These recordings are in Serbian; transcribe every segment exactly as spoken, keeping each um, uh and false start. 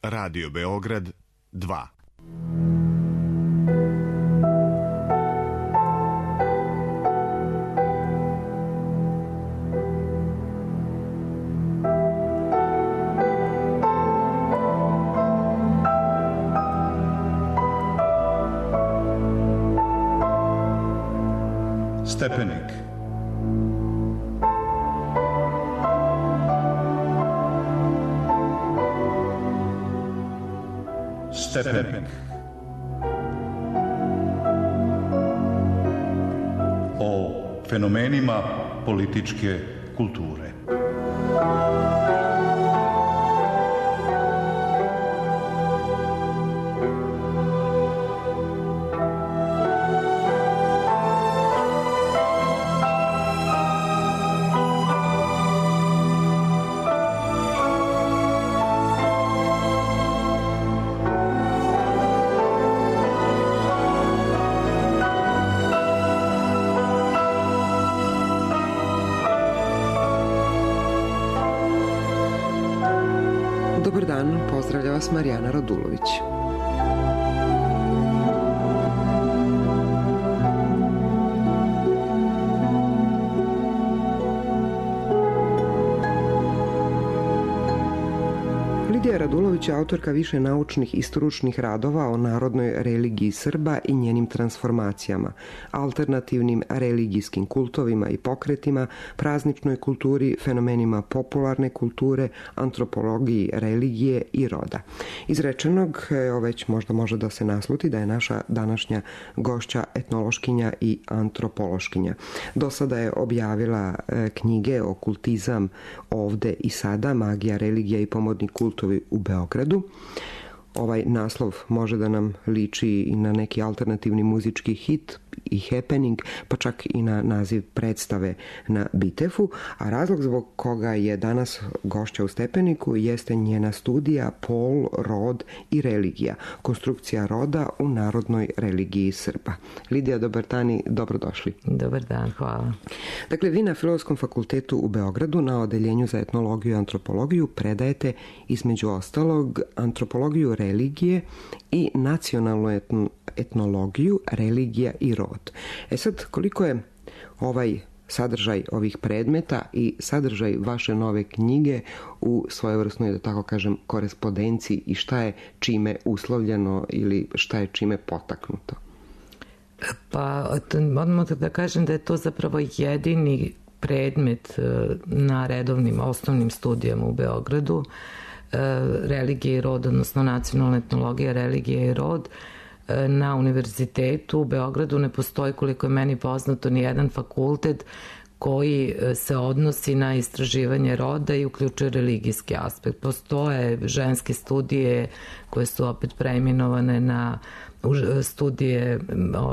Radio Beograd dva. Stepenik. Stepenik. O fenomenima političke kulture. Dobar dan, pozdravlja vas Marijana Radulović. Lidija Radulović je autorka više naučnih i stručnih radova o narodnoj religiji Srba i njenim transformacijama, alternativnim religijskim kultovima i pokretima, prazničnoj kulturi, fenomenima popularne kulture, antropologiji religije i roda. Izrečenog, evo već možda može da se nasluti da je naša današnja gošća etnološkinja i antropološkinja. Do sada je objavila knjige Okultizam ovde i sada, magija, religija i pomodni kultovi u Beogradu. Ovaj naslov može da nam liči i na neki alternativni muzički hit i happening, pa čak i na naziv predstave na Bitefu, a razlog zbog koga je danas gošća u Stepeniku jeste njena studija Pol, rod i religija, konstrukcija roda u narodnoj religiji Srba. Lidija, dobar dan i dobrodošli. Dobar dan, hvala. Dakle, vi na Filozofskom fakultetu u Beogradu na odeljenju za etnologiju i antropologiju predajete između ostalog antropologiju religije i nacionalnu etn- etnologiju, religija i rod. E sad, koliko je ovaj sadržaj ovih predmeta i sadržaj vaše nove knjige u svojevrsnoj, da tako kažem, korespondenciji i šta je čime uslovljeno ili šta je čime potaknuto? Pa, odmah da kažem da je to zapravo jedini predmet na redovnim osnovnim studijama u Beogradu, religija i rod, odnosno nacionalna etnologija, religija i rod. Na univerzitetu u Beogradu ne postoji, koliko je meni poznato, ni jedan fakultet koji se odnosi na istraživanje roda i uključuje religijski aspekt. Postoje ženske studije koje su opet preimenovane na studije,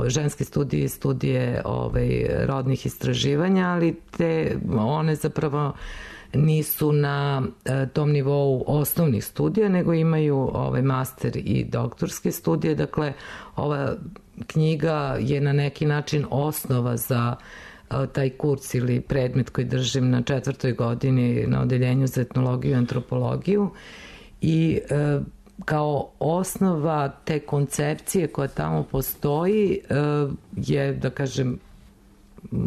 ženske studije i studije ovaj, rodnih istraživanja, ali te one zapravo nisu na e, tom nivou osnovnih studija, nego imaju ovaj, master i doktorske studije. Dakle, ova knjiga je na neki način osnova za e, taj kurs ili predmet koji držim na četvrtoj godini na odeljenju za etnologiju i antropologiju i e, kao osnova te koncepcije koja tamo postoji e, je, da kažem,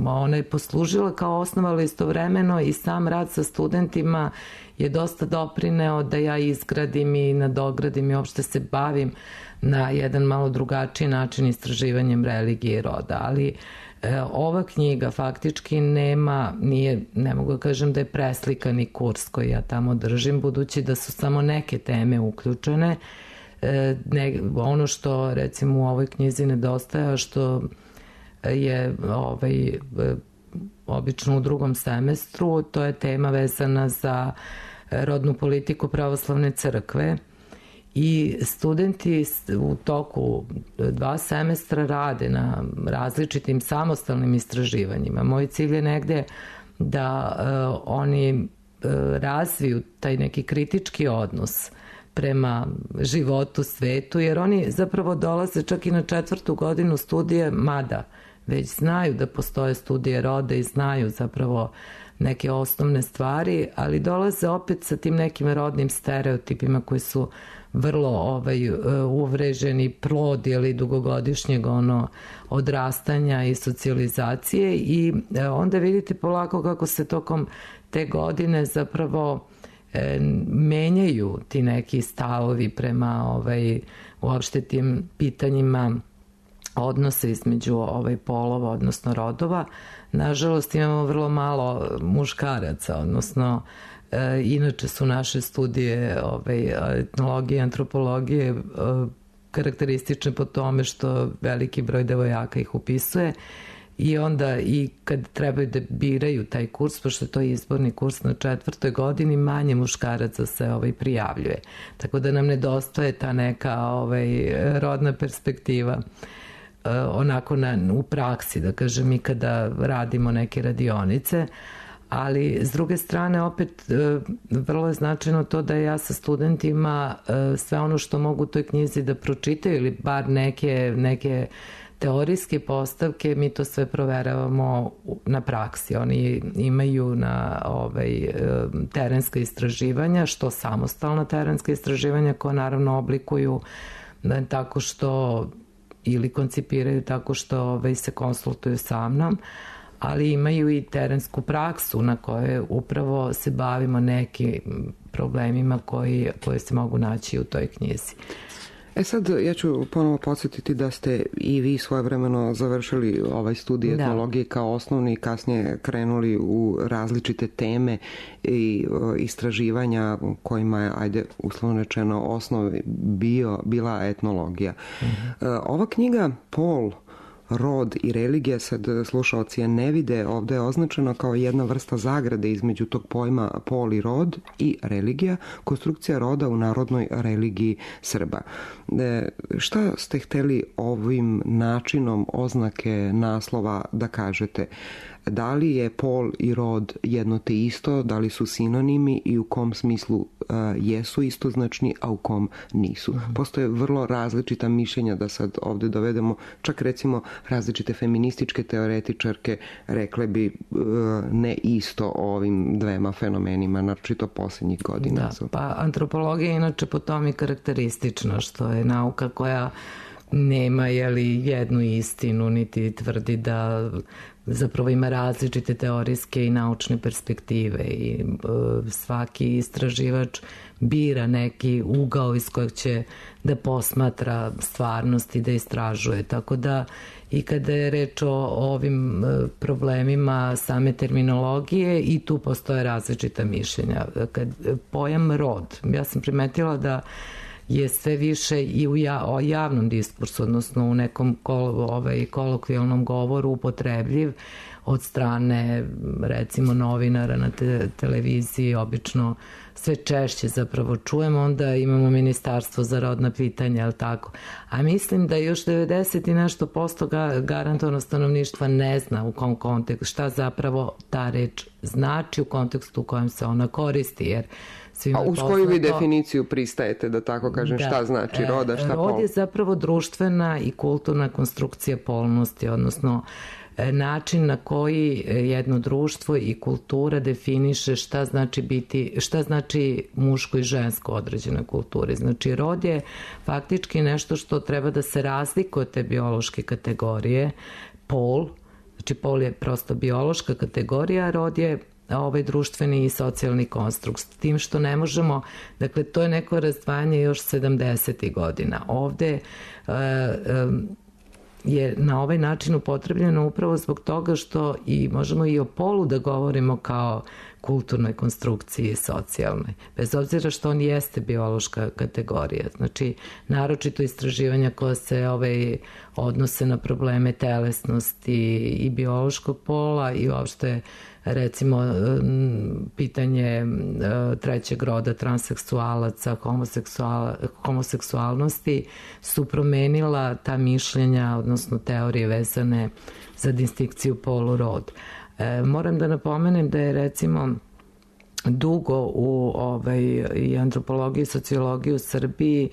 ona je poslužila kao osnova, ali istovremeno i sam rad sa studentima je dosta doprineo da ja izgradim i nadogradim i uopšte se bavim na jedan malo drugačiji način istraživanjem religije i roda. Ali e, ova knjiga faktički nema, nije, ne mogu da kažem da je preslikani kurs koji ja tamo držim, budući da su samo neke teme uključene. E, ne, ono što recimo u ovoj knjizi nedostaje, što je ovaj, obično u drugom semestru, to je tema vezana za rodnu politiku pravoslavne crkve i studenti u toku dva semestra rade na različitim samostalnim istraživanjima. Moj cilj je negde da uh, oni uh, razviju taj neki kritički odnos prema životu, svetu, jer oni zapravo dolaze čak i na četvrtu godinu studije, mada već znaju da postoje studije roda i znaju zapravo neke osnovne stvari, ali dolaze opet sa tim nekim rodnim stereotipima koji su vrlo ovaj, uvreženi plod ili dugogodišnjeg ono odrastanja i socijalizacije i onda vidite polako kako se tokom te godine zapravo e, menjaju ti neki stavovi prema ovaj, uopšte tim pitanjima odnose između ovaj, polova, odnosno rodova. Nažalost imamo vrlo malo muškaraca, odnosno e, inače su naše studije ovaj, etnologije, antropologije e, karakteristične po tome što veliki broj devojaka ih upisuje i onda i kad trebaju da biraju taj kurs, pošto to je izborni kurs na četvrtoj godini, manje muškaraca se ovaj, prijavljuje. Tako da nam nedostaje ta neka ovaj, rodna perspektiva onako na, u praksi, da kažem, i kada radimo neke radionice, ali s druge strane opet vrlo je značajno to da ja sa studentima sve ono što mogu u toj knjizi da pročitaju ili bar neke, neke teorijske postavke, mi to sve proveravamo na praksi. Oni imaju na ovaj, terenska istraživanja, što samostalna terenska istraživanja koja naravno oblikuju da, tako što ili koncipiraju tako što ovaj, se konsultuju sa mnom, ali imaju i terensku praksu na kojoj upravo se bavimo nekim problemima koji, koji se mogu naći u toj knjizi. E sad, ja ću ponovo podsjetiti da ste i vi svojevremeno završili ovaj studij etnologije kao osnovni i kasnije krenuli u različite teme i istraživanja kojima je, ajde, uslovno rečeno, osnov bio, bila etnologija. Mm-hmm. Ova knjiga, Pol, rod i religija, sad slušaoci je ne vide, ovde je označeno kao jedna vrsta zagrade između tog pojma pol i rod i religija, konstrukcija roda u narodnoj religiji Srba. E, šta ste hteli ovim načinom oznake naslova da kažete? Da li je pol i rod jedno te isto, da li su sinonimi i u kom smislu uh, jesu istoznačni, a u kom nisu? Mm-hmm. Postoje vrlo različita mišljenja, da sad ovde dovedemo, čak recimo različite feminističke teoretičarke rekle bi uh, ne isto o ovim dvema fenomenima, naročito posljednjih godina. Da, pa antropologija je inače po tome i karakteristična, što je nauka koja nema jeli, jednu istinu, niti tvrdi da zapravo ima različite teorijske i naučne perspektive i e, svaki istraživač bira neki ugao iz kojeg će da posmatra stvarnost i da istražuje. Tako da i kada je reč o ovim problemima same terminologije i tu postoje različita mišljenja. Kad pojam rod, ja sam primetila da je sve više i u ja, o javnom diskursu, odnosno u nekom kol, ovaj, kolokvijalnom govoru upotrebljiv od strane recimo novinara na te, televiziji, obično sve češće zapravo čujemo, onda imamo Ministarstvo za rodna pitanja, ali tako. A mislim da još devedeset i nešto posto garantovano stanovništva ne zna u kom kontekstu, šta zapravo ta reč znači u kontekstu u kojem se ona koristi, jer a uz koju vi definiciju pristajete, da tako kažem, da, šta znači roda, šta pol? Rod je zapravo društvena i kulturna konstrukcija polnosti, odnosno način na koji jedno društvo i kultura definiše šta znači biti, šta znači muško i žensko u određenoj kulturi. Znači, rod je faktički nešto što treba da se razlikuje od te biološke kategorije. Pol, znači pol je prosto biološka kategorija, a rod je ovaj društveni i socijalni konstrukt, s tim što ne možemo, dakle to je neko razdvajanje još sedamdesetih godina. Ovde e, e, je na ovaj način upotrebljeno upravo zbog toga što i možemo i o polu da govorimo kao kulturnoj konstrukciji socijalnoj, bez obzira što on jeste biološka kategorija. Znači, naročito istraživanja koja se ovaj, odnose na probleme telesnosti i biološkog pola i uopšte recimo pitanje trećeg roda, transseksualaca, homoseksual, homoseksualnosti su promenila ta mišljenja, odnosno teorije vezane za distinkciju polu rod. E, moram da napomenem da je recimo dugo u ovaj, i antropologiji i sociologiji u Srbiji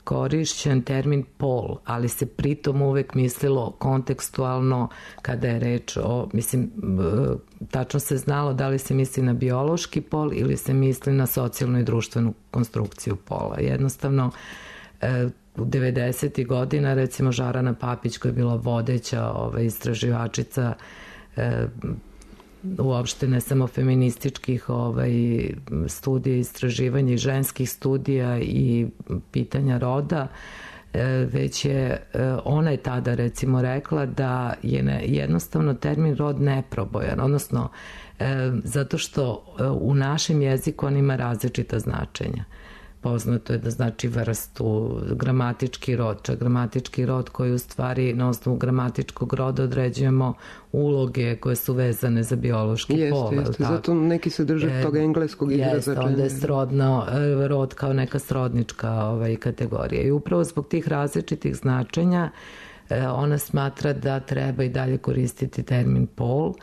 korišćen termin pol, ali se pritom uvek mislilo kontekstualno kada je reč o, mislim, tačno se znalo da li se misli na biološki pol ili se misli na socijalnu i društvenu konstrukciju pola. Jednostavno, u devedesetih godina, recimo Žarana Papić, koja je bila vodeća ovaj, istraživačica uopšte ne samo feminističkih ovaj, studija, istraživanja i ženskih studija i pitanja roda, već je, ona je tada recimo rekla da je ne, jednostavno termin rod neprobojan, odnosno zato što u našem jeziku on ima različita značenja. Poznato je da znači vrstu, gramatički rod, čak gramatički rod koji u stvari na osnovu gramatičkog roda određujemo uloge koje su vezane za biološki jeste, pol. Jeste, jeste, zato neki se drže e, tog engleskog izraza. Jeste, onda je srodno, rod kao neka srodnička ovaj, kategorija. I upravo zbog tih različitih značenja ona smatra da treba i dalje koristiti termin pol,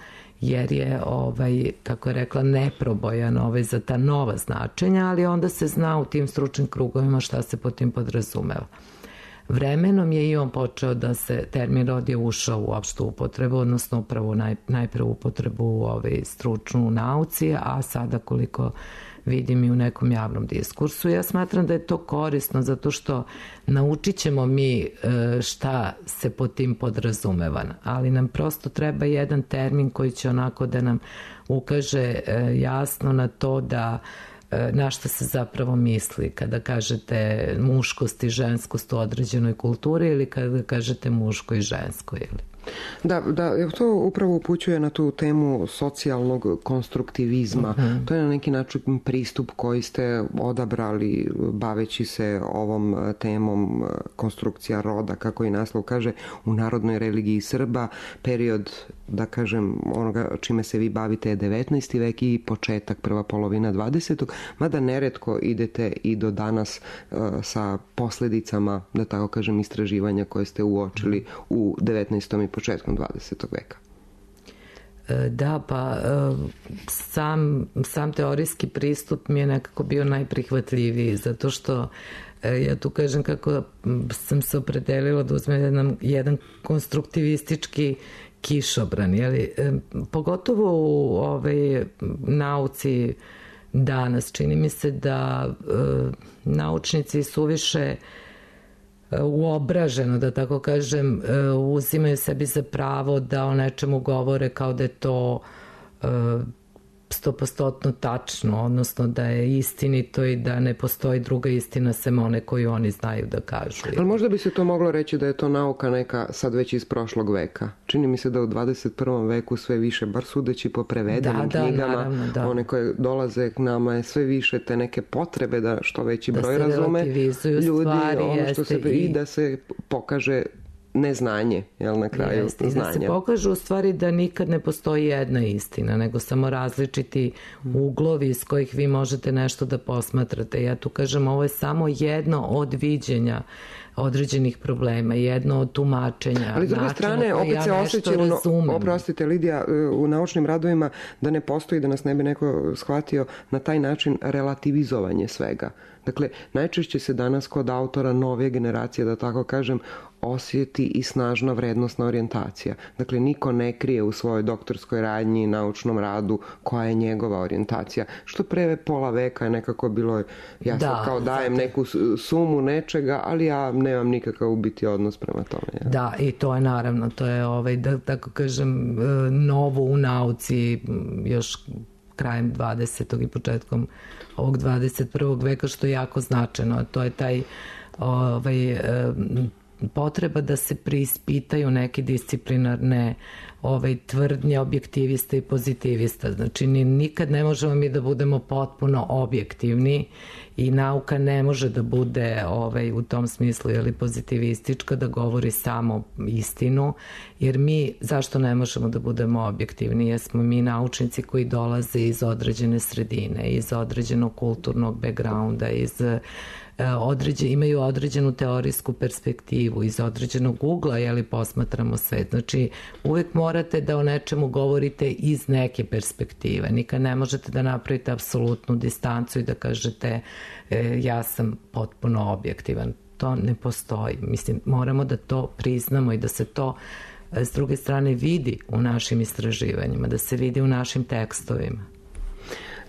jer je, ovaj, kako je rekla, neprobojan ovaj, za ta nova značenja, ali onda se zna u tim stručnim krugovima šta se po tim podrazumeva. Vremenom je i on počeo da se termin rod je ušao u opštu upotrebu, odnosno upravo naj, najpre upotrebu ovaj, stručnu u nauci, a sada koliko vidim i u nekom javnom diskursu. Ja smatram da je to korisno zato što naučit ćemo mi šta se po tim podrazumeva, ali nam prosto treba jedan termin koji će onako da nam ukaže jasno na to da na šta se zapravo misli kada kažete muškost i ženskost u određenoj kulturi ili kada kažete muško i žensko ili... Da, da, to upravo upućuje na tu temu socijalnog konstruktivizma. Uh-huh. To je na neki način pristup koji ste odabrali baveći se ovom temom konstrukcija roda, kako i naslov kaže, u narodnoj religiji Srba. Period, da kažem, onoga čime se vi bavite je devetnaesti vek i početak, prva polovina dvadesetog mada neretko idete i do danas uh, sa posledicama, da tako kažem, istraživanja koje ste uočili u devetnaestom i početkom dvadesetog veka. Da, pa sam, sam teorijski pristup mi je nekako bio najprihvatljiviji, zato što ja tu kažem kako sam se opredelila da uzmem jedan, jedan konstruktivistički kišobran, jeli? Pogotovo u ovaj, nauci danas čini mi se da e, naučnici suviše uobraženo, da tako kažem, uzimaju sebi za pravo da o nečemu govore kao da je to stopostotno tačno, odnosno da je istinito i da ne postoji druga istina sem one koju oni znaju da kažu. Ali možda bi se to moglo reći da je to nauka neka sad već iz prošlog veka. Čini mi se da u dvadeset prvom veku sve više, bar sudeći po prevedenim da, knjigama, da, naravno, da. One koje dolaze k nama je sve više te neke potrebe da što veći da broj razume ljudi, stvari, ono što se i... i da se pokaže neznanje, jel, na kraju Jeste, znanja. I da se pokaže u stvari da nikad ne postoji jedna istina, nego samo različiti uglovi iz kojih vi možete nešto da posmatrate. Ja tu kažem, ovo je samo jedno od viđenja određenih problema, jedno od tumačenja. Ali s druge strane, opet ja se osjeća, no, oprostite Lidija, u naučnim radovima da ne postoji, da nas ne bi neko shvatio, na taj način relativizovanje svega. Dakle, najčešće se danas kod autora nove generacije, da tako kažem, osjeti i snažna vrednosna orijentacija. Dakle, niko ne krije u svojoj doktorskoj radnji i naučnom radu koja je njegova orijentacija. Što pre pola veka je nekako bilo, ja sad kao dajem zato... neku sumu nečega, ali ja nemam nikakav u biti odnos prema tome. Ja. Da, i to je naravno, to je, ovaj, da tako kažem, novo u nauci još krajem dvadesetog i početkom ovog dvadeset prvog veka, što je jako značajno. To je taj ovaj, potreba da se preispitaju neke disciplinarne ovaj, tvrdnje objektivista i pozitivista. Znači, nikad ne možemo mi da budemo potpuno objektivni i nauka ne može da bude ovaj, u tom smislu ili pozitivistička, da govori samo istinu, jer mi, zašto ne možemo da budemo objektivni? Jer smo mi naučnici koji dolaze iz određene sredine, iz određenog kulturnog backgrounda, iz određe, imaju određenu teorijsku perspektivu, iz određenog ugla, jeli, posmatramo svet. Znači, uvek morate da o nečemu govorite iz neke perspektive. Nikad ne možete da napravite apsolutnu distancu i da kažete e, ja sam potpuno objektivan. To ne postoji. Mislim, moramo da to priznamo i da se to s druge strane vidi u našim istraživanjima, da se vidi u našim tekstovima.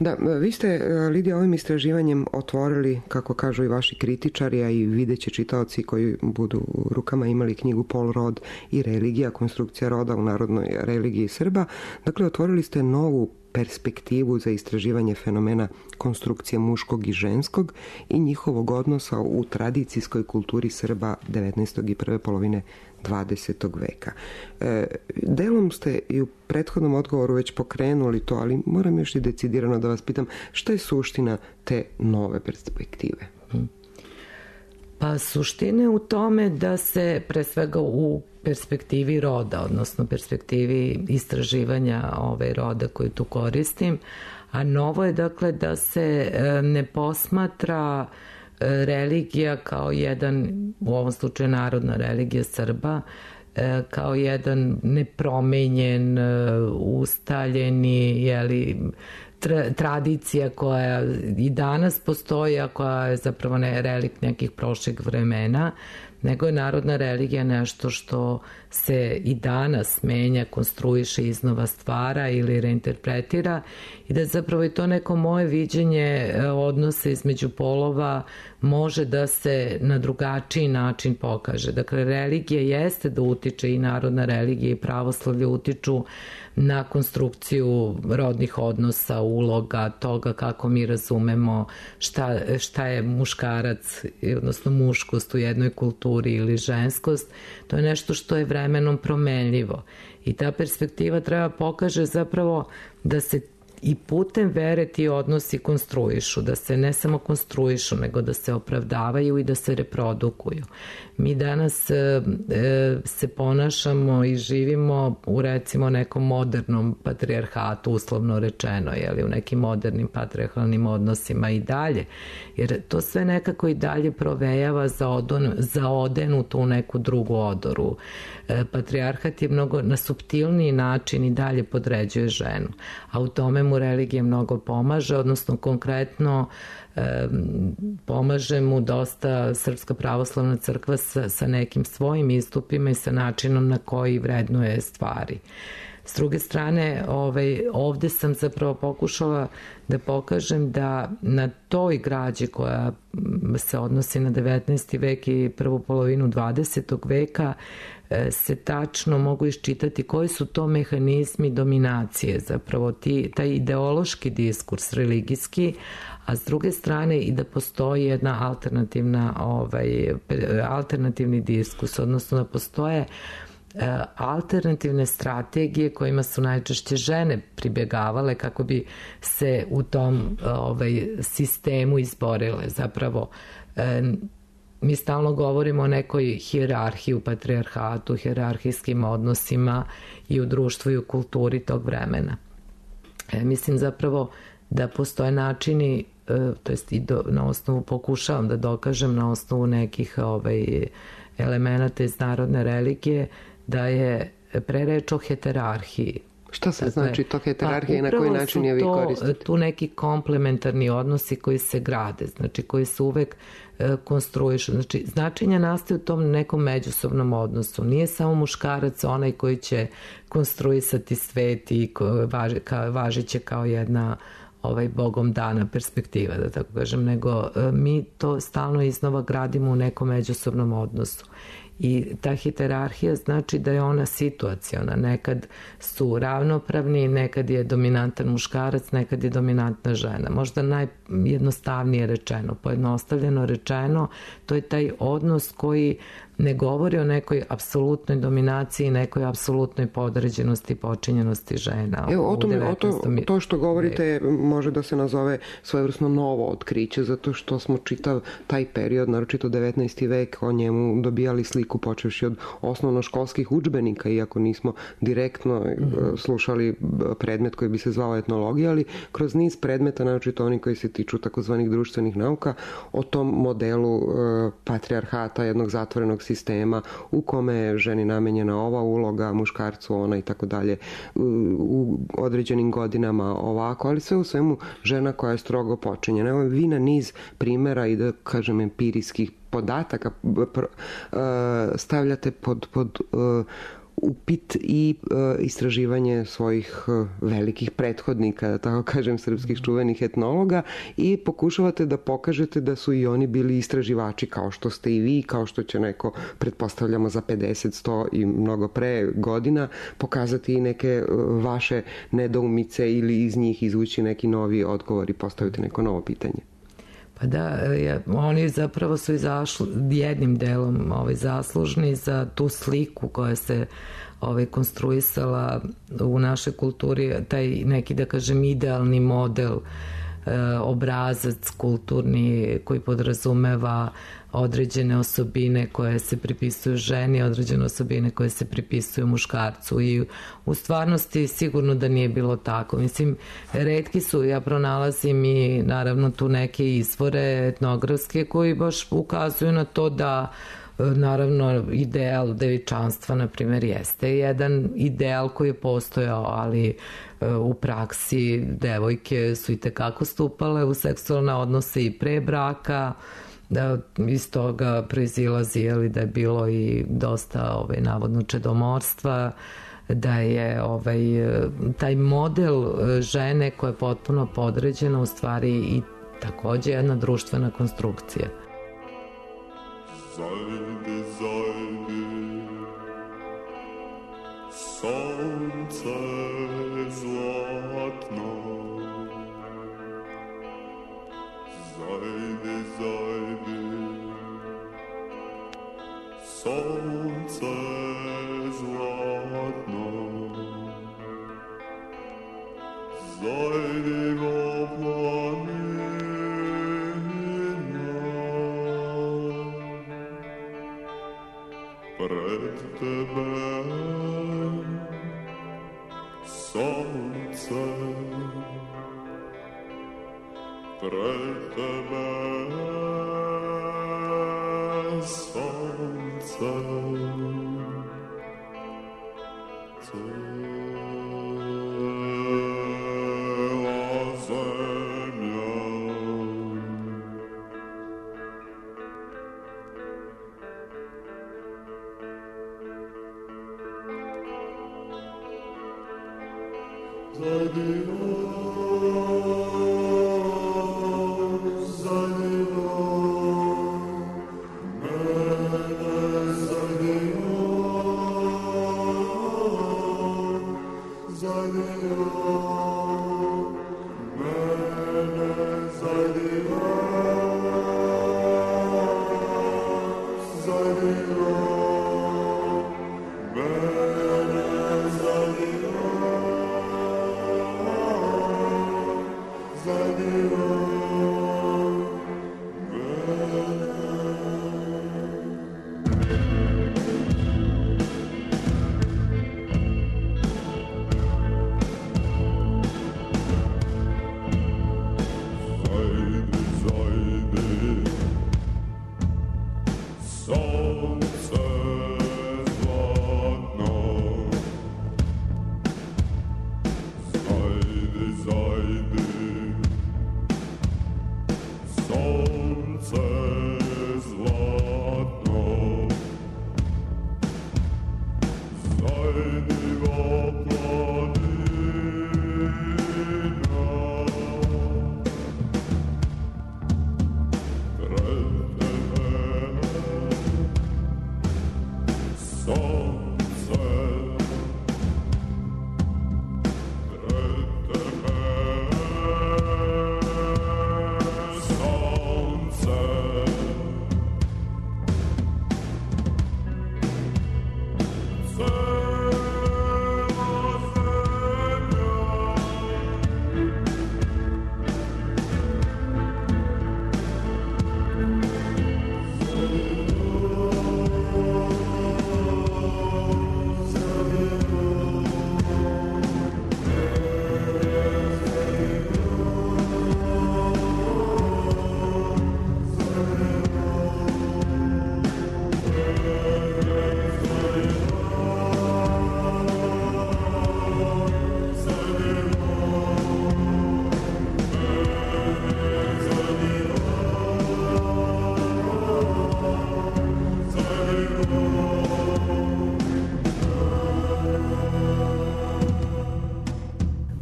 Da, vi ste, Lidija, ovim istraživanjem otvorili, kako kažu i vaši kritičari, a i videće čitaoci koji budu u rukama imali knjigu Pol, rod i religija, konstrukcija roda u narodnoj religiji Srba. Dakle, otvorili ste novu perspektivu za istraživanje fenomena konstrukcije muškog i ženskog i njihovog odnosa u tradicijskoj kulturi Srba devetnaestog i prve polovine dvadesetog veka. E, delom ste i u prethodnom odgovoru već pokrenuli to, ali moram još i decidirano da vas pitam šta je suština te nove perspektive? Pa suština je u tome da se pre svega u perspektivi roda, odnosno perspektivi istraživanja ove roda koju tu koristim, a novo je dakle da se ne posmatra religija kao jedan, u ovom slučaju narodna religija Srba, kao jedan nepromenjen, ustaljeni, jeli, tra, tradicija koja i danas postoji, a koja je zapravo ne relikt nekih prošlih vremena, nego je narodna religija nešto što se i danas menja, konstruiše, iznova stvara ili reinterpretira i da zapravo i to neko moje viđenje odnose između polova može da se na drugačiji način pokaže. Dakle, religija jeste da utiče i narodna religija i pravoslavlje utiču na konstrukciju rodnih odnosa, uloga, toga kako mi razumemo šta, šta je muškarac, odnosno muškost u jednoj kulturi ili ženskost. To je nešto što je vremenom promenljivo. I ta perspektiva treba pokaže zapravo da se i putem vere ti odnosi konstruišu, da se ne samo konstruišu, nego da se opravdavaju i da se reprodukuju. Mi danas e, se ponašamo i živimo u recimo nekom modernom patrijarhatu, uslovno rečeno, jeli, u nekim modernim patrijarhalnim odnosima i dalje, jer to sve nekako i dalje provejava za, odon, za odenutu u neku drugu odoru. E, patrijarhat je mnogo na suptilniji način i dalje podređuje ženu, a u tome mu religija mnogo pomaže, odnosno konkretno e, pomaže mu dosta Srpska pravoslavna crkva sa, sa nekim svojim istupima i sa načinom na koji vrednuje stvari. S druge strane, ovaj, ovde sam zapravo pokušala da pokažem da na toj građi koja se odnosi na devetnaesti vek i prvu polovinu dvadesetog veka se tačno mogu iščitati koji su to mehanizmi dominacije, zapravo ti, taj ideološki diskurs religijski, a s druge strane i da postoji jedna alternativna, ovaj, alternativni diskurs, odnosno da postoje alternativne strategije kojima su najčešće žene pribjegavale kako bi se u tom ovaj, sistemu izborile. Zapravo, mi stalno govorimo o nekoj hijerarhiji u patrijarhatu, hijerarhijskim odnosima i u društvu i u kulturi tog vremena. E, mislim zapravo da postoje načini, e, to jest i do, na osnovu, pokušavam da dokažem na osnovu nekih ovaj, elemenata iz narodne religije, da je pre reč o heterarhiji. Šta se dakle, znači to heterarhija i na koji način je vi koristite? Tu neki komplementarni odnosi koji se grade, znači koji se uvek e, konstruišu. Znači, značenja nastaje u tom nekom međusobnom odnosu. Nije samo muškarac onaj koji će konstruisati svet i važi, ka, važiće kao jedna ovaj bogom dana perspektiva, da tako kažem, nego e, mi to stalno iznova gradimo u nekom međusobnom odnosu. I ta hijerarhija znači da je ona situaciona. Nekad su ravnopravni, nekad je dominantan muškarac, nekad je dominantna žena. Možda najjednostavnije rečeno, pojednostavljeno rečeno, to je taj odnos koji ne govori o nekoj apsolutnoj dominaciji, nekoj apsolutnoj podređenosti i počinjenosti žena. Evo, o tome, o to, to što govorite može da se nazove svojevrsno novo otkriće, zato što smo čitav taj period, naročito devetnaesti vek, o njemu dobijali sliku jeziku, počevši od osnovnoškolskih udžbenika, iako nismo direktno mm-hmm. slušali predmet koji bi se zvao etnologija, ali kroz niz predmeta, naročito oni koji se tiču takozvanih društvenih nauka, o tom modelu e, patrijarhata, jednog zatvorenog sistema u kome je ženi namenjena ova uloga, muškarcu ona i tako dalje, u određenim godinama ovako, ali sve u svemu žena koja je strogo počinjena. Evo vi na niz primjera i da kažem empirijskih podataka stavljate pod, pod upit i istraživanje svojih velikih prethodnika, da tako kažem, srpskih čuvenih etnologa, i pokušavate da pokažete da su i oni bili istraživači kao što ste i vi, kao što će neko, pretpostavljamo za pedeset, sto i mnogo pre godina, pokazati i neke vaše nedoumice ili iz njih izvući neki novi odgovor i postaviti neko novo pitanje. Pa da, ja, oni zapravo su izašli jednim delom ovaj, zaslužni za tu sliku koja se ovaj, konstruisala u našoj kulturi, taj neki, da kažem, idealni model, e, obrazac kulturni koji podrazumeva određene osobine koje se pripisuju ženi, određene osobine koje se pripisuju muškarcu, i u stvarnosti sigurno da nije bilo tako. Mislim, retki su, ja pronalazim i naravno tu neke izvore etnografske koji baš ukazuju na to da naravno ideal devičanstva, na primjer, jeste jedan ideal koji je postojao, ali u praksi devojke su i tekako stupale u seksualne odnose i pre braka, da iz toga proizilazi, jeli, da je bilo i dosta ovaj, navodno čedomorstva, da je ovaj, taj model žene koja je potpuno podređena u stvari i takođe jedna društvena konstrukcija. Zajdi, zajdi, sonce zlatno, zajdi, zajdi, sonce zlatno, zajdi go planina, pred tebe sonce, pred tebe sonce, cela zemlja. Mene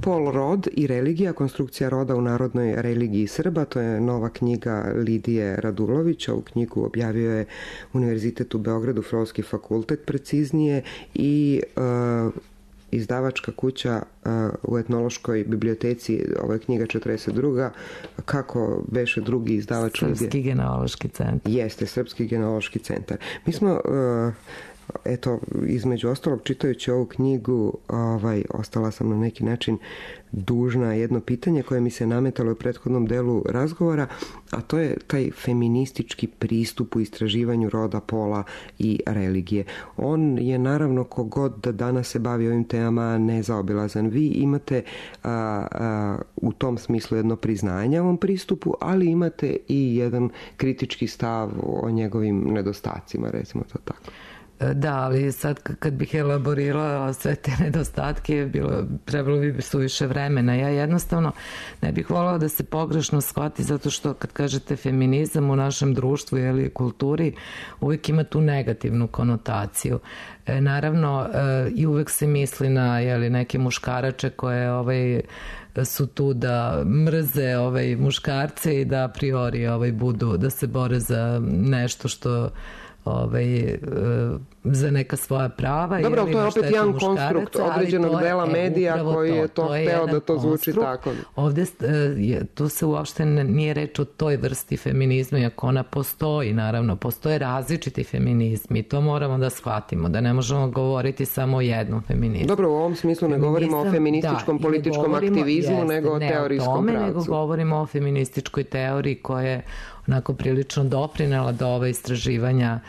Pol, rod i religija, konstrukcija roda u narodnoj religiji Srba, to je nova knjiga Lidije Radulović. Ovu knjigu objavio je Univerzitet u Beogradu, Filozofski fakultet preciznije, i uh, izdavačka kuća uh, u etnološkoj biblioteci, ovo je knjiga četrdeset druga. Kako beše drugi izdavač? Srpski genealoški centar. Jeste, Srpski genealoški centar. Mi smo... Uh, Eto, između ostalog, čitajući ovu knjigu, ovaj, ostala sam na neki način dužna jedno pitanje koje mi se nametalo u prethodnom delu razgovora, a to je taj feministički pristup u istraživanju roda, pola i religije. On je naravno, kogod da danas se bavi ovim temama, nezaobilazan. Vi imate a, a, u tom smislu jedno priznanje ovom pristupu, ali imate i jedan kritički stav o njegovim nedostacima, recimo to tako. Da, ali sad kad bih elaborirala sve te nedostatke, bilo, trebalo bi suviše vremena. Ja jednostavno ne bih voljela da se pogrešno shvati, zato što kad kažete feminizam u našem društvu ili kulturi, uvijek ima tu negativnu konotaciju. E, naravno, e, i uvijek se misli na jeli, neke muškarače koje ovaj, su tu da mrze ovaj, muškarce i da a priori ovaj, budu, da se bore za nešto što ovaj, za neka svoja prava. Dobro, ali to je opet jedan konstrukt određenog dela medija koji je to hteo da to zvuči tako. Ovde tu se uopšte nije reč o toj vrsti feminizma, iako ona postoji, naravno, postoje različiti feminizmi i to moramo da shvatimo, da ne možemo govoriti samo o jednom feminizmu. Dobro, u ovom smislu ne govorimo o feminističkom političkom aktivizmu, nego o teorijskom pravcu. Nego govorimo o feminističkoj teoriji koja je onako prilično doprinela do ove istraživanja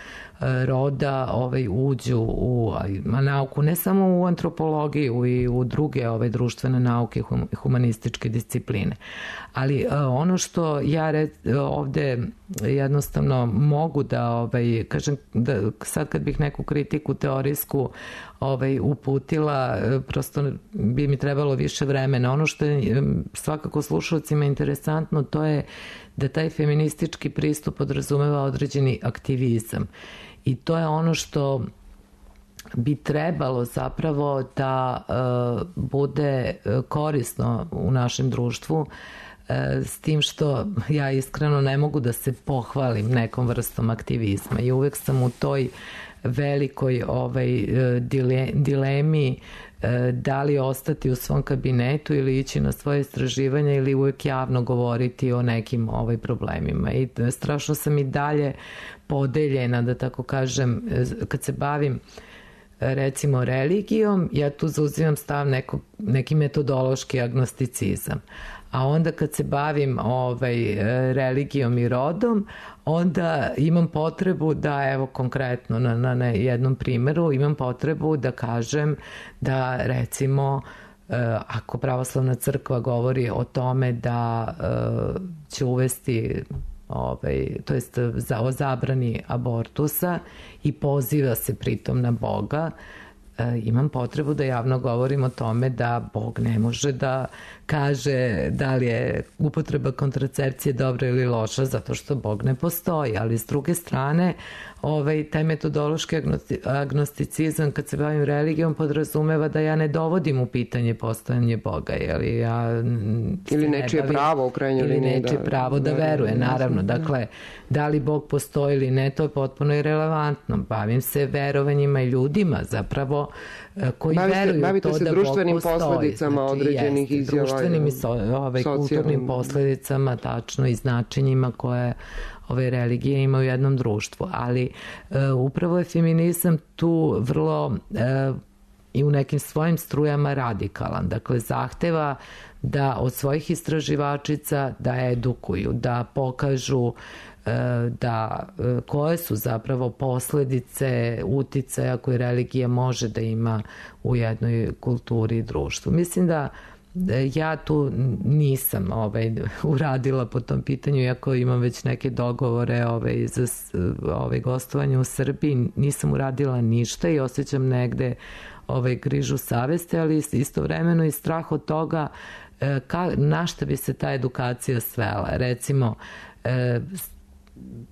roda ovaj, uđu u nauku, ne samo u antropologiju i u druge ove društvene nauke, humanističke discipline. Ali ono što ja red, ovde jednostavno mogu da ovaj, kažem, da sad kad bih neku kritiku teorijsku ovaj, uputila, prosto bi mi trebalo više vremena. Ono što je svakako slušalcima interesantno, to je da taj feministički pristup podrazumeva određeni aktivizam. I to je ono što bi trebalo zapravo da uh, bude korisno u našem društvu, uh, s tim što ja iskreno ne mogu da se pohvalim nekom vrstom aktivizma i uvek sam u toj velikoj ovaj, dile, dilemi da li ostati u svom kabinetu ili ići na svoje istraživanje ili uvek javno govoriti o nekim ovaj problemima. I strašno sam i dalje podeljena, da tako kažem, kad se bavim recimo religijom, ja tu zauzimam stav neko, neki metodološki agnosticizam. A onda kad se bavim ovaj, religijom i rodom, onda imam potrebu da, evo konkretno na, na, na jednom primjeru, imam potrebu da kažem da recimo ako pravoslavna crkva govori o tome da će uvesti ovaj, to jest za, o zabrani abortusa i poziva se pritom na Boga, imam potrebu da javno govorim o tome da Bog ne može da kaže da li je upotreba kontracepcije dobra ili loša, zato što Bog ne postoji. Ali s druge strane, ovaj, taj metodološki agnosticizam kad se bavim religijom podrazumeva da ja ne dovodim u pitanje postojanje Boga. Jeli ja ili nečije bavim, pravo u krajnjoj liniji. Ili nečije da, pravo da, da veruje, naravno. Dakle, da li Bog postoji ili ne, to je potpuno irelevantno. Bavim se verovanjima i ljudima zapravo koji bavite, veruju bavite to se da društvenim Bog postoji. Posljedicama znači, određenih jest, izjava. Društvenim i so, ovaj, kulturnim posledicama, tačno, i značenjima koje ove religije imaju u jednom društvu. Ali e, upravo je feminizam tu vrlo e, i u nekim svojim strujama radikalan. Dakle, zahteva da od svojih istraživačica da edukuju, da pokažu da koje su zapravo posledice uticaja koje religija može da ima u jednoj kulturi i društvu. Mislim da ja tu nisam ovaj, uradila po tom pitanju, iako imam već neke dogovore ovaj, za ovaj, gostovanje u Srbiji, nisam uradila ništa i osjećam negde ovaj, grižu savesti, ali istovremeno i strah od toga ka, na šta bi se ta edukacija svela. Recimo,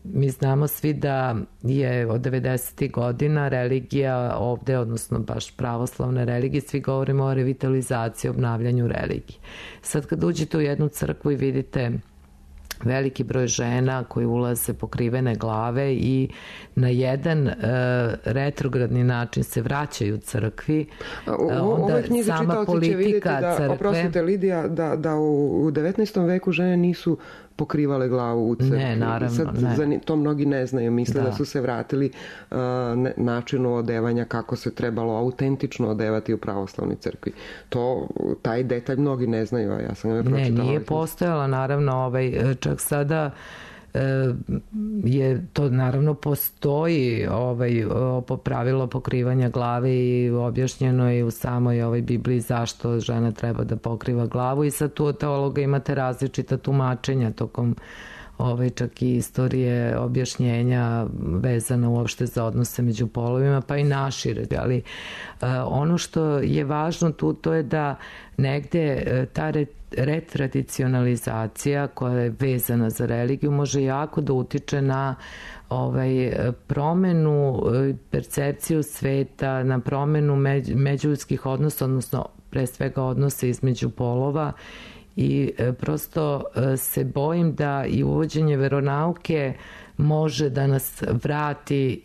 mi znamo svi da je od devedesetih godina religija ovde, odnosno baš pravoslavne religije, svi govorimo o revitalizaciji, obnavljanju religije. Sad kad uđete u jednu crkvu i vidite veliki broj žena koji ulaze pokrivene glave i na jedan uh, retrogradni način se vraćaju crkvi, onda sama politika da, crkve... Oprostite, Lidija, da, da u, u devetnaestom veku žene nisu pokrivale glavu u crkvi. Ne, naravno, sad, ne. Za, to mnogi ne znaju. Misle da, da su se vratili uh, ne, načinu odevanja kako se trebalo autentično odevati u pravoslavnoj crkvi. To, taj detalj mnogi ne znaju, a ja sam ga pročitala. Ne, nije postojala, naravno, ovaj, čak sada je to naravno postoji ovaj, pravilo pokrivanja glave i objašnjeno je u samoj ovoj Bibliji zašto žena treba da pokriva glavu i sad tu od teologa imate različita tumačenja tokom ovaj, čak i istorije objašnjenja vezana uopšte za odnose među polovima, pa i našire. Ali uh, ono što je važno tu, to je da negde uh, ta re, retradicionalizacija koja je vezana za religiju može jako da utiče na ovaj, promenu percepciju sveta, na promenu međ, međuljudskih odnosa, odnosno pre svega odnose između polova. I prosto se bojim da i uvođenje veronauke može da nas vrati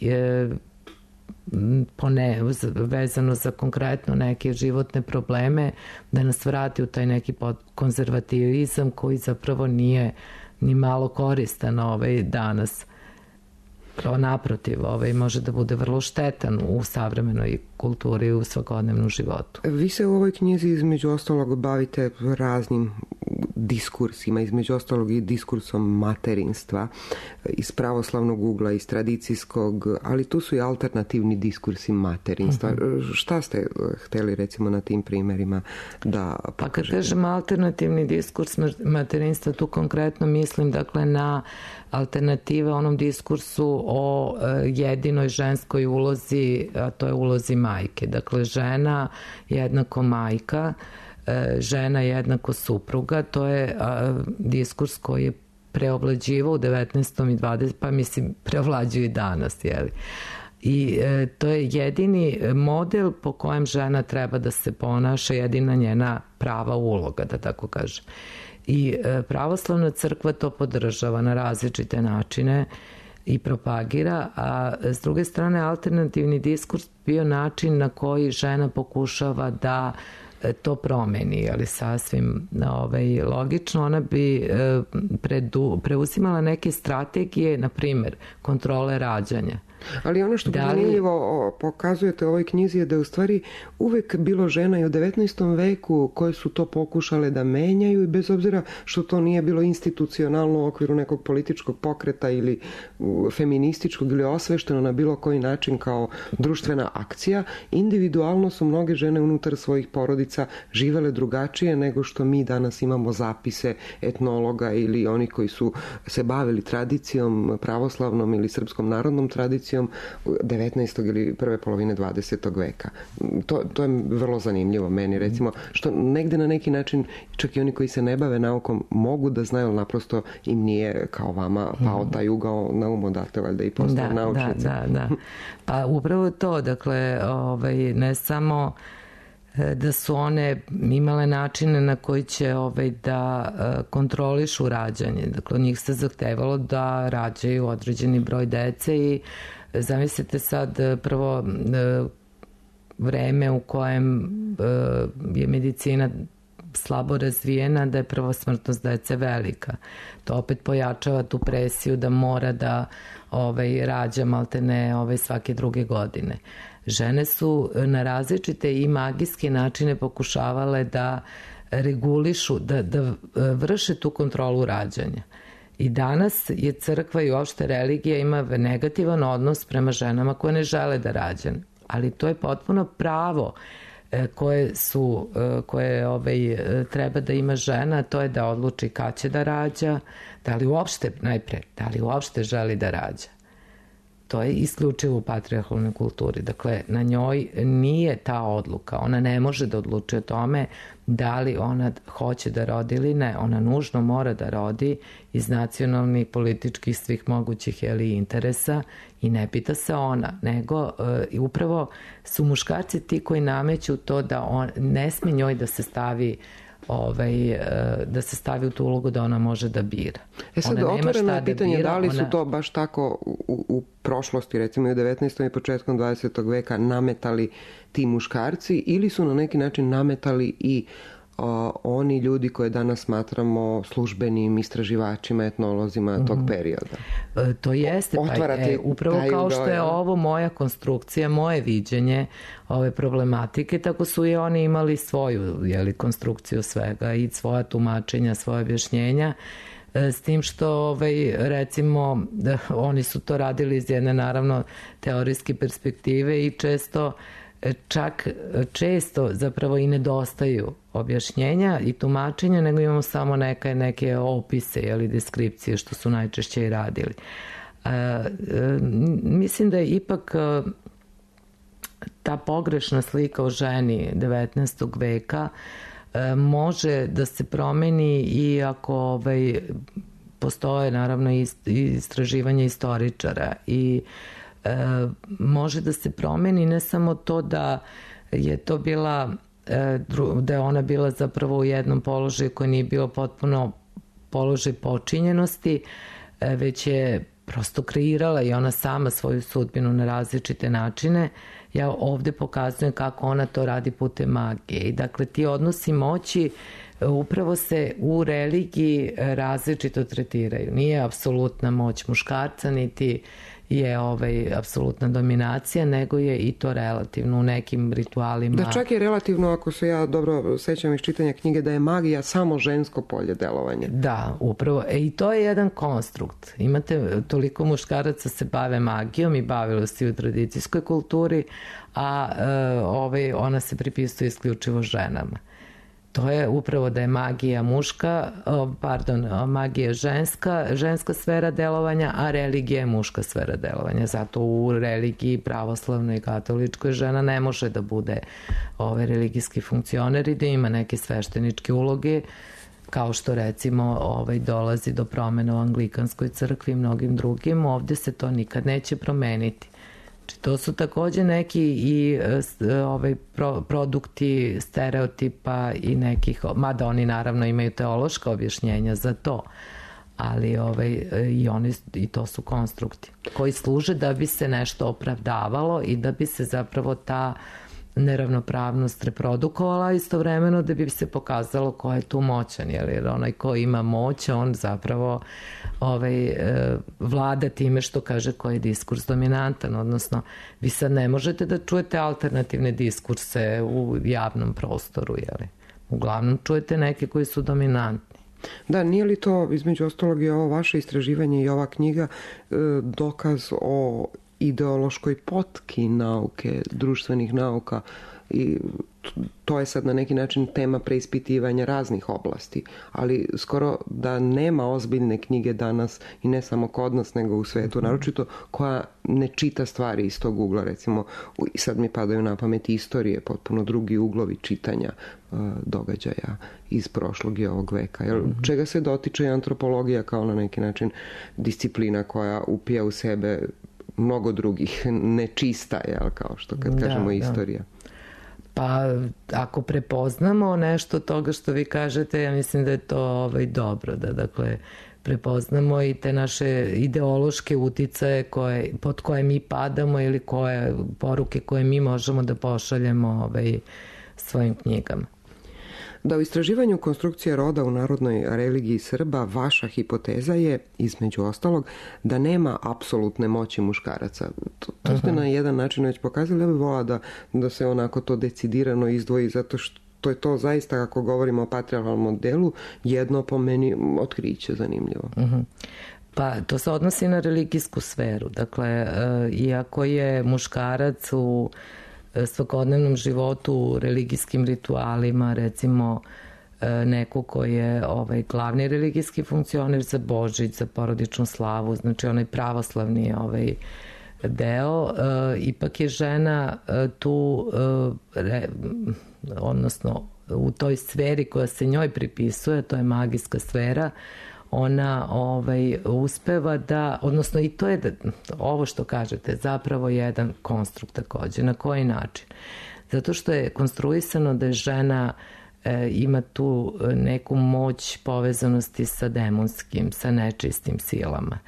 pone, vezano za konkretno neke životne probleme, da nas vrati u taj neki konzervativizam koji zapravo nije ni malo koristan ovaj danas. Pravo naprotiv, ovaj može da bude vrlo štetan u savremenoj kulturi i u svakodnevnom životu. Vi se u ovoj knjizi između ostalog bavite raznim diskursima, između ostalog i diskursom materinstva iz pravoslavnog ugla, iz tradicijskog, ali tu su i alternativni diskursi materinstva. Uh-huh. Šta ste hteli recimo na tim primerima da pokažete? Pa kad kažem alternativni diskurs materinstva, tu konkretno mislim dakle na alternative onom diskursu o jedinoj ženskoj ulozi, a to je ulozi majke. Dakle, žena jednako majka, žena jednako supruga, to je diskurs koji je preovlađivao u devetnaestom i dvadesetom pa mislim preovlađuje i danas, jeli? I e, to je jedini model po kojem žena treba da se ponaša, jedina njena prava uloga, da tako kažem. I e, pravoslavna crkva to podržava na različite načine i propagira, a s druge strane alternativni diskurs bio način na koji žena pokušava da to promeni, ali sasvim ovaj, logično. Ona bi predu, preuzimala neke strategije, na primjer, kontrole rađanja. Ali ono što da li... zanimljivo pokazujete u ovoj knjizi je da je u stvari uvek bilo žena i u devetnaestom veku koje su to pokušale da menjaju i bez obzira što to nije bilo institucionalno u okviru nekog političkog pokreta ili feminističkog ili osvešteno na bilo koji način kao društvena akcija, individualno su mnoge žene unutar svojih porodica živele drugačije nego što mi danas imamo zapise etnologa ili oni koji su se bavili tradicijom pravoslavnom ili srpskom narodnom tradicijom devetnaestog ili prve polovine dvadesetog veka. To, to je vrlo zanimljivo meni, recimo, što negde na neki način čak i oni koji se ne bave naukom mogu da znaju, naprosto im nije kao vama pao taj ugao na um, odatle valjda i postao da, naučnici. Da, da, da. Pa upravo to, dakle, ovaj, ne samo da su one imale načine na koji će ovaj, da kontrolišu rađanje. Dakle, od njih se zahtevalo da rađaju određeni broj dece i zamislite sad prvo vreme u kojem je medicina slabo razvijena, da je prvo smrtnost dece velika. To opet pojačava tu presiju da mora da ovaj, rađa maltene ovaj, svake druge godine. Žene su na različite i magijske načine pokušavale da regulišu, da, da vrše tu kontrolu rađanja. I danas je crkva i uopšte religija ima negativan odnos prema ženama koje ne žele da rađaju. Ali to je potpuno pravo koje su, koje ovaj, treba da ima žena, to je da odluči kad će da rađa, da li uopšte, najpre, da li uopšte želi da rađa. to je isključivo u patrijarhalnoj kulturi. Dakle, na njoj nije ta odluka. Ona ne može da odluči o tome da li ona hoće da rodi ili ne. Ona nužno mora da rodi iz nacionalnih, političkih, svih mogućih jeli, interesa i ne pita se ona, nego uh, upravo su muškarci ti koji nameću to da on, ne sme njoj da se stavi Ovaj, da se stavi u tu ulogu da ona može da bira. E sad, otvoreno je pitanje da, bira, da li su ona... to baš tako u, u prošlosti, recimo i u devetnaestom i početkom dvadesetog veka nametali ti muškarci ili su na neki način nametali i o, oni ljudi koje danas smatramo službenim istraživačima, etnolozima mm-hmm. tog perioda. E, to jeste, pa je, upravo kao što je ovo moja konstrukcija, moje viđenje ove problematike, tako su i oni imali svoju jeli, konstrukciju svega i svoja tumačenja, svoje objašnjenja, e, s tim što ovaj, recimo da, oni su to radili iz jedne naravno teorijske perspektive i često čak često zapravo i nedostaju objašnjenja i tumačenja, nego imamo samo neke, neke opise ili deskripcije što su najčešće i radili. E, e, mislim da je ipak e, ta pogrešna slika o ženi devetnaestog veka e, može da se promeni i ako ovaj, postoje naravno istraživanje istoričara i E, može da se promeni ne samo to da je to bila e, da je ona bila zapravo u jednom položaju koji nije bio potpuno položaj počinjenosti, e, već je prosto kreirala i ona sama svoju sudbinu na različite načine. Ja ovde pokazujem kako ona to radi putem magije i dakle ti odnosi moći upravo se u religiji različito tretiraju. Nije apsolutna moć muškarca niti je ovaj, apsolutna dominacija, nego je i to relativno u nekim ritualima. Da čak je relativno, ako se ja dobro sećam iz čitanja knjige, da je magija samo žensko polje delovanja. Da, upravo. E, i to je jedan konstrukt. Imate toliko muškaraca se bave magijom i bavilo se u tradicijskoj kulturi, a e, ovaj, ona se pripisuje isključivo ženama. To je upravo da je magija muška, pardon, magija ženska, ženska sfera delovanja, a religija je muška sfera delovanja. Zato u religiji pravoslavnoj i katoličkoj žena ne može da bude ovaj religijski funkcioner i da ima neke svešteničke uloge, kao što recimo ovaj, dolazi do promena u Anglikanskoj crkvi i mnogim drugim. Ovde se to nikad neće promeniti. To su takođe neki i ovaj, pro, produkti stereotipa i nekih, mada oni naravno imaju teološka objašnjenja za to, ali ovaj, i, oni, i to su konstrukti koji služe da bi se nešto opravdavalo i da bi se zapravo ta neravnopravnost reprodukovala istovremeno da bi se pokazalo ko je tu moćan, jer onaj ko ima moć, on zapravo ovaj, vlada time što kaže koji je diskurs dominantan, odnosno vi sad ne možete da čujete alternativne diskurse u javnom prostoru, jeli? Uglavnom čujete neke koji su dominantni. Da, nije li to između ostalog i ovo vaše istraživanje i ova knjiga dokaz o ideološkoj potki nauke, društvenih nauka i to je sad na neki način tema preispitivanja raznih oblasti, ali skoro da nema ozbiljne knjige danas i ne samo kod nas nego u svetu, naročito koja ne čita stvari iz tog ugla, recimo i sad mi padaju na pamet istorije, potpuno drugi uglovi čitanja uh, događaja iz prošlog i ovog veka. Jer, mm-hmm. čega se dotiče antropologija kao na neki način disciplina koja upija u sebe mnogo drugih, nečista, jel, kao što kad da, kažemo istorija. Da. Pa ako prepoznamo nešto od toga što vi kažete, ja mislim da je to ovaj, dobro, da dakle prepoznamo i te naše ideološke uticaje koje, pod koje mi padamo ili koje poruke koje mi možemo da pošaljemo ovaj, svojim knjigama. Da u istraživanju konstrukcije roda u narodnoj religiji Srba vaša hipoteza je, između ostalog, da nema apsolutne moći muškaraca. To, to ste uh-huh. na jedan način već pokazali, ja bih volila da, da se onako to decidirano izdvoji, zato što je to zaista, ako govorimo o patrijarhalnom modelu, jedno po meni otkriće zanimljivo. Uh-huh. Pa to se odnosi na religijsku sferu. Dakle, iako je muškarac u svakodnevnom životu, u religijskim ritualima, recimo neko ko je ovaj, glavni religijski funkcioner za Božić, za porodičnu slavu, znači onaj pravoslavni ovaj, deo, ipak je žena tu, odnosno u toj sferi koja se njoj pripisuje, to je magijska sfera, ona ovaj, uspeva da, odnosno i to je da, ovo što kažete, zapravo jedan konstrukt takođe. Na koji način? Zato što je konstruisano da je žena e, ima tu neku moć povezanosti sa demonskim, sa nečistim silama.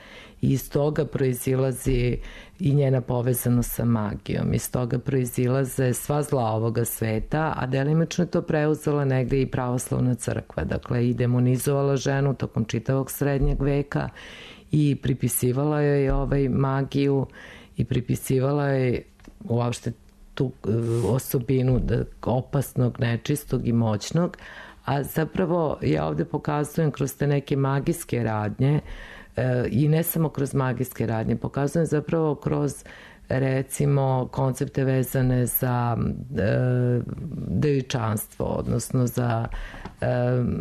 I iz toga proizilazi i njena povezanost sa magijom. Iz toga proizilaze sva zla ovoga sveta, a delimično je to preuzela negde i pravoslavna crkva. Dakle, i demonizovala ženu tokom čitavog srednjeg veka i pripisivala joj ovaj magiju i pripisivala joj uopšte tu osobinu opasnog, nečistog i moćnog. A zapravo ja ovde pokazujem kroz te neke magijske radnje i ne samo kroz magijske radnje, pokazujem zapravo kroz recimo koncepte vezane za e, devičanstvo, odnosno za e,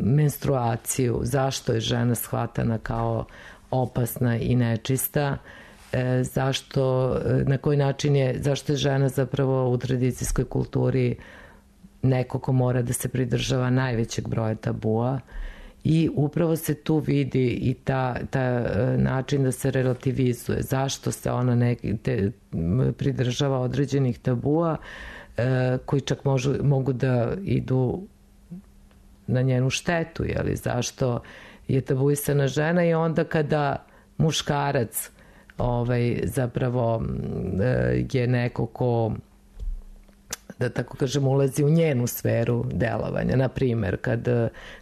menstruaciju, zašto je žena shvatana kao opasna i nečista, e, zašto, na koji način je, zašto je žena zapravo u tradicijskoj kulturi neko ko mora da se pridržava najvećeg broja tabua. I upravo se tu vidi i ta, ta način da se relativizuje. Zašto se ona neki, te, pridržava određenih tabua e, koji čak možu, mogu da idu na njenu štetu. Jeli? Zašto je tabuisana žena i onda kada muškarac ovaj, zapravo e, je neko ko, da tako kažem, ulazi u njenu sferu delovanja. Naprimer, kad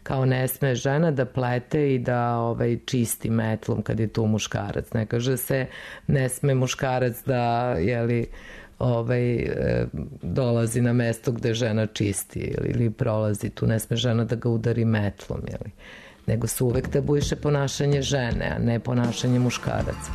kao ne sme žena da plete i da ovaj, čisti metlom kad je tu muškarac. Ne kaže se ne sme muškarac da jeli, ovaj, dolazi na mesto gde žena čisti ili, ili prolazi tu, ne sme žena da ga udari metlom. Jeli. Nego se uvek tabuiše ponašanje žene, a ne ponašanje muškaraca.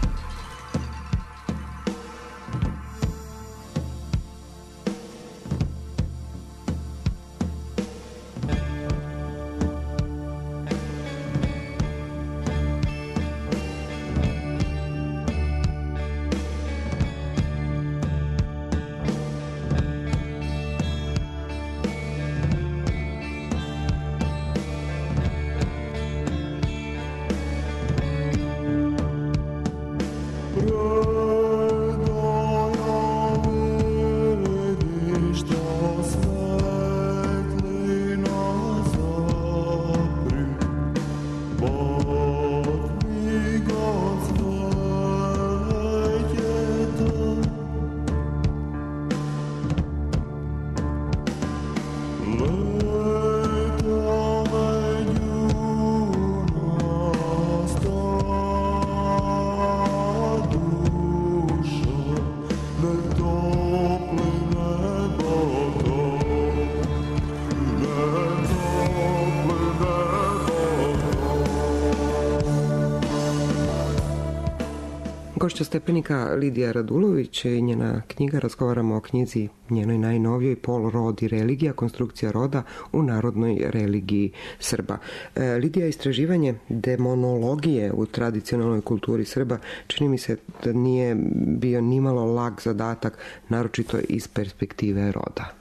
Gošća Stepenika Lidija Radulović i njena knjiga. Razgovaramo o knjizi njenoj najnovijoj Pol, rod i religija, konstrukcija roda u narodnoj religiji Srba. E, Lidija, istraživanje demonologije u tradicionalnoj kulturi Srba čini mi se da nije bio nimalo lak zadatak, naročito iz perspektive roda.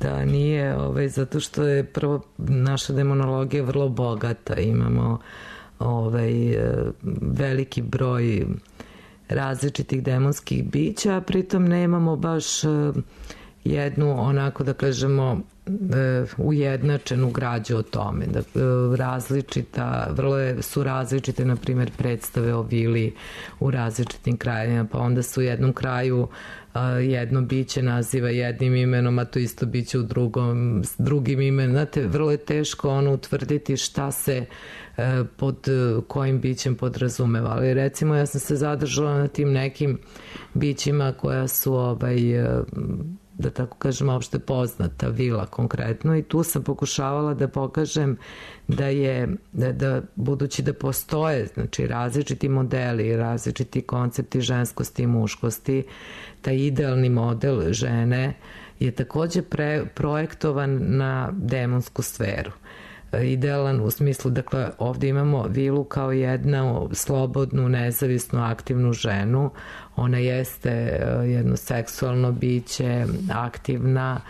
Da, nije, ovaj, zato što je prvo naša demonologija vrlo bogata. Imamo ovaj, veliki broj različitih demonskih bića, a pritom nemamo baš jednu, onako da kažemo, ujednačenu građu o tome. Da, različita, vrlo je, su različite, na primjer, predstave o vili u različitim krajevima, pa onda su u jednom kraju jedno biće naziva jednim imenom, a to isto biće u drugom, s drugim imenom. Znate, vrlo je teško ono utvrditi šta se pod kojim bićem podrazumeva. Ali recimo ja sam se zadržala na tim nekim bićima koja su ovaj, da tako kažem, opšte poznata, vila konkretno, i tu sam pokušavala da pokažem da je, da, da budući da postoje, znači, različiti modeli, različiti koncepti ženskosti i muškosti, taj idealni model žene je takođe pre, projektovan na demonsku sferu. idealan u smislu, dakle ovdje imamo vilu kao jednu slobodnu, nezavisnu, aktivnu ženu. Ona jeste jedno seksualno biće, aktivna,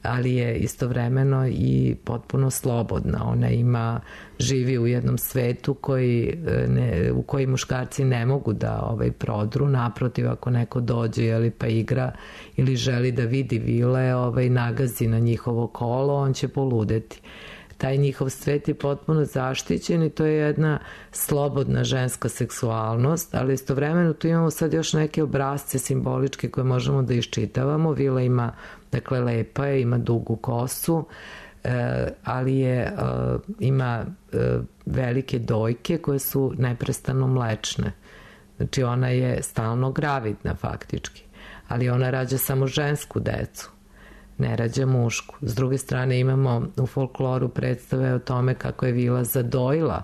ali je istovremeno i potpuno slobodna. Ona ima, živi u jednom svetu koji ne, u koji muškarci ne mogu da ovaj, prodru. Naprotiv, ako neko dođe jeli, pa igra ili želi da vidi vile, ovaj, nagazi na njihovo kolo, on će poludeti. Taj njihov svet je potpuno zaštićen i to je jedna slobodna ženska seksualnost, ali istovremeno tu imamo sad još neke obrazce simboličke koje možemo da iščitavamo. Vila ima, dakle, lepa je, ima dugu kosu, ali je, ima velike dojke koje su neprestano mlečne. Znači ona je stalno gravidna faktički, ali ona rađa samo žensku decu, ne rađa mušku. S druge strane imamo u folkloru predstave o tome kako je vila zadojila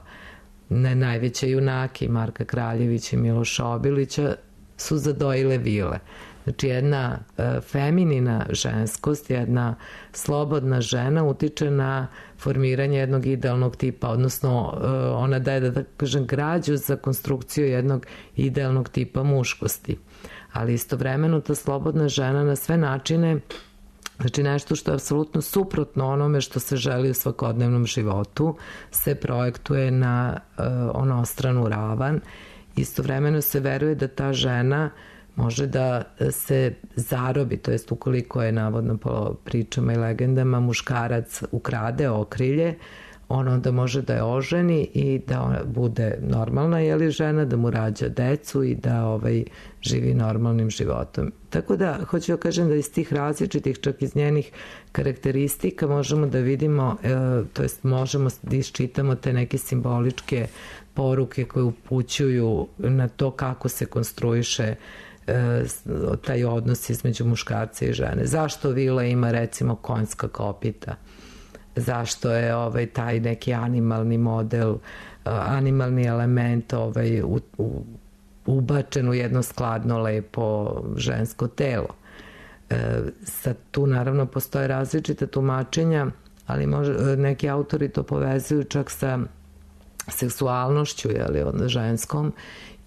ne najveće junake, Marka Kraljevića i Miloša Obilića su zadojile vile. Znači jedna e, feminina ženskost, jedna slobodna žena utiče na formiranje jednog idealnog tipa, odnosno e, ona daje, da, da kažem, građu za konstrukciju jednog idealnog tipa muškosti. Ali istovremeno ta slobodna žena na sve načine, znači nešto što je apsolutno suprotno onome što se želi u svakodnevnom životu, se projektuje na uh, onostranu ravan. Istovremeno se veruje da ta žena može da se zarobi, to jest ukoliko je navodno po pričama i legendama muškarac ukrade okrilje, on onda može da je oženi i da ona bude normalna, jeli žena, da mu rađa decu i da ovaj, živi normalnim životom. Tako da, hoću da kažem da iz tih različitih, čak iz njenih karakteristika možemo da vidimo, e, to jest možemo da iščitamo te neke simboličke poruke koje upućuju na to kako se konstruiše e, taj odnos između muškarca i žene. Zašto vila ima recimo konjska kopita? Zašto je ovaj taj neki animalni model, animalni element ovaj u, u, ubačen u jedno skladno, lepo žensko telo. E, sad tu naravno postoje različite tumačenja, ali može, neki autori to povezuju čak sa seksualnošću, jeli, onda ženskom,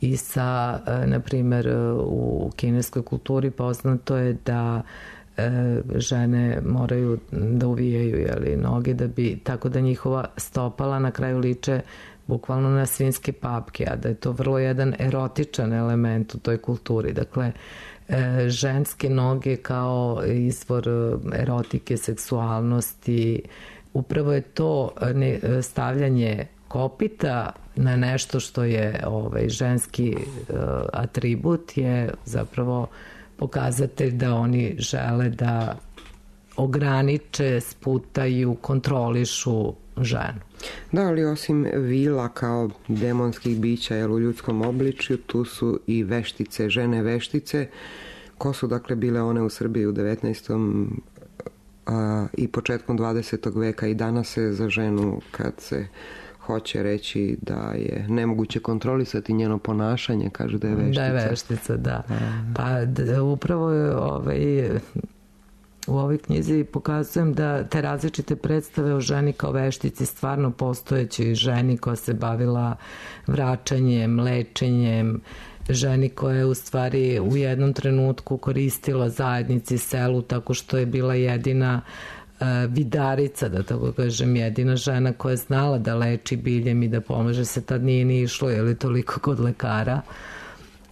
i sa, na primjer, u kineskoj kulturi poznato je da žene moraju da uvijaju, jeli, noge, da bi, tako da njihova stopala na kraju liče bukvalno na svinjske papke, a da je to vrlo jedan erotičan element u toj kulturi. Dakle, ženske noge kao izvor erotike, seksualnosti, upravo je to stavljanje kopita na nešto što je ovaj, ženski atribut, je zapravo pokazatelj da oni žele da ograniče, sputaju, kontrolišu ženu. Da, ali osim vila kao demonskih bića, jel, u ljudskom obličju, tu su i veštice, žene veštice. Ko su dakle bile one u Srbiji u devetnaestom a, i početkom dvadesetog veka, i danas se za ženu, kad se hoće reći da je nemoguće kontrolisati njeno ponašanje, kaže da je veštica. Da je veštica, da. Pa da, upravo je ovaj, u ovoj knjizi pokazujem da te različite predstave o ženi kao veštici, stvarno postojećoj ženi koja se bavila vraćanjem, lečenjem, ženi koja je u stvari u jednom trenutku koristila zajednici, selu, tako što je bila jedina vidarica, da tako kažem, jedina žena koja je znala da leči biljem i da pomaže, se tad nije ni išlo, je li, toliko kod lekara.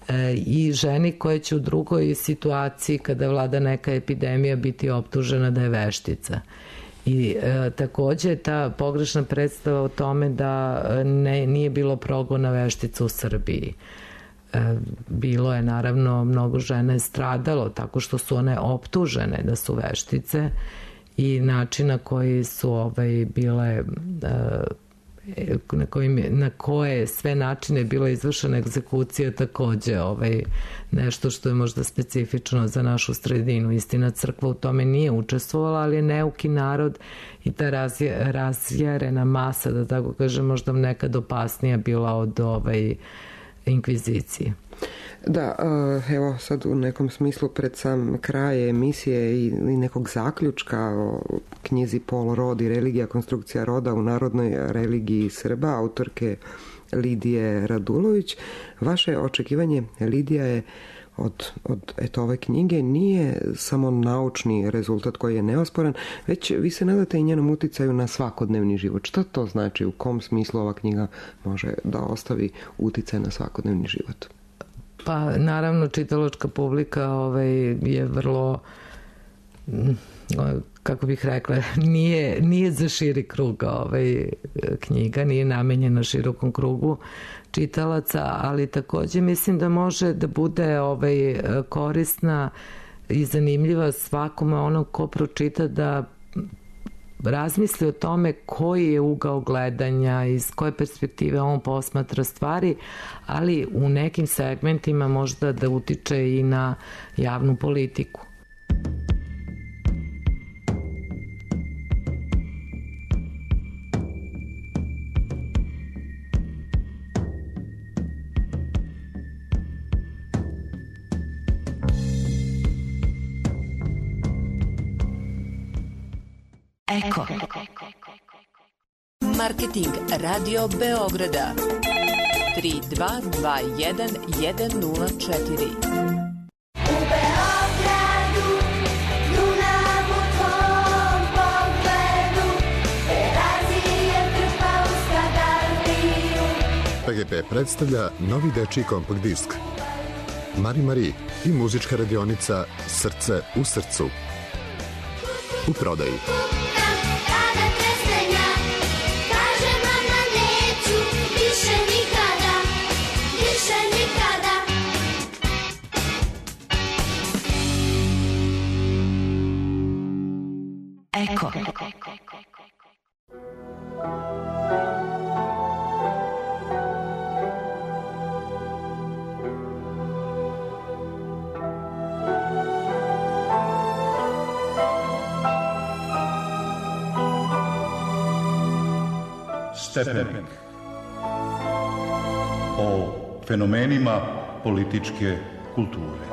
E, i ženi koja će u drugoj situaciji, kada vlada neka epidemija, biti optužena da je veštica. I e, takođe ta pogrešna predstava o tome da ne, nije bilo progona veštica u Srbiji. E, bilo je, naravno, mnogo žena je stradalo tako što su one optužene da su veštice, i način na koji su ovaj, bile, na, kojim, na koje sve načine je bila izvršena egzekucija, takođe ovaj, nešto što je možda specifično za našu sredinu. Istina, crkva u tome nije učestvovala, ali je neuki narod i ta razje, razjerena masa, da tako kažem, možda nekad opasnija bila od ovaj, inkvizicije. Da, evo sad u nekom smislu pred sam kraj emisije i nekog zaključka o knjizi Pol rod i religija, konstrukcija roda u narodnoj religiji Srba, autorke Lidije Radulović. Vaše očekivanje, Lidija, je od, od eto, ove knjige nije samo naučni rezultat koji je neosporan, već vi se nadate i njenom uticaju na svakodnevni život. Šta to znači? U kom smislu ova knjiga može da ostavi uticaj na svakodnevni život? Pa naravno čitalačka publika ovaj, je vrlo, kako bih rekla, nije, nije za širi krug ovaj, knjiga, nije namenjena širokom krugu čitalaca, ali takođe mislim da može da bude ovaj, korisna i zanimljiva svakome onom ko pročita, da razmisli o tome koji je ugao gledanja, iz koje perspektive on posmatra stvari, ali u nekim segmentima možda da utiče i na javnu politiku. Eko. Marketing Radio Beograda tri dva dva jedan jedan nula četiri. U Beogradu, Dunav u tvom pogledu, Terazije trpa u Skadarliju. P G P predstavlja novi dečiji kompakt disk Mari Mari i muzička radionica Srce u srcu. U prodaji. Eko. Stepenik. O fenomenima političke kulture.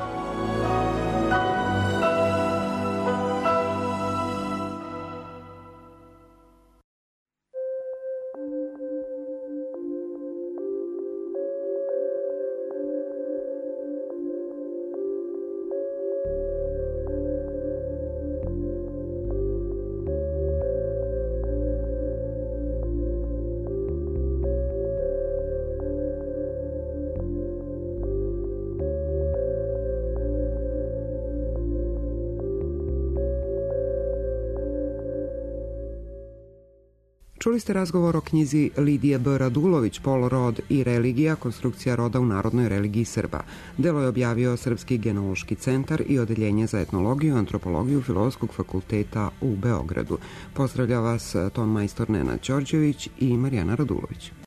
Čuli ste razgovor o knjizi Lidije B. Radulović, Pol rod i religija, konstrukcija roda u narodnoj religiji Srba. Delo je objavio Srpski genealoški centar i Odeljenje za etnologiju i antropologiju Filozofskog fakulteta u Beogradu. Pozdravlja vas ton majstor Nenad Đorđević i Marijana Radulović.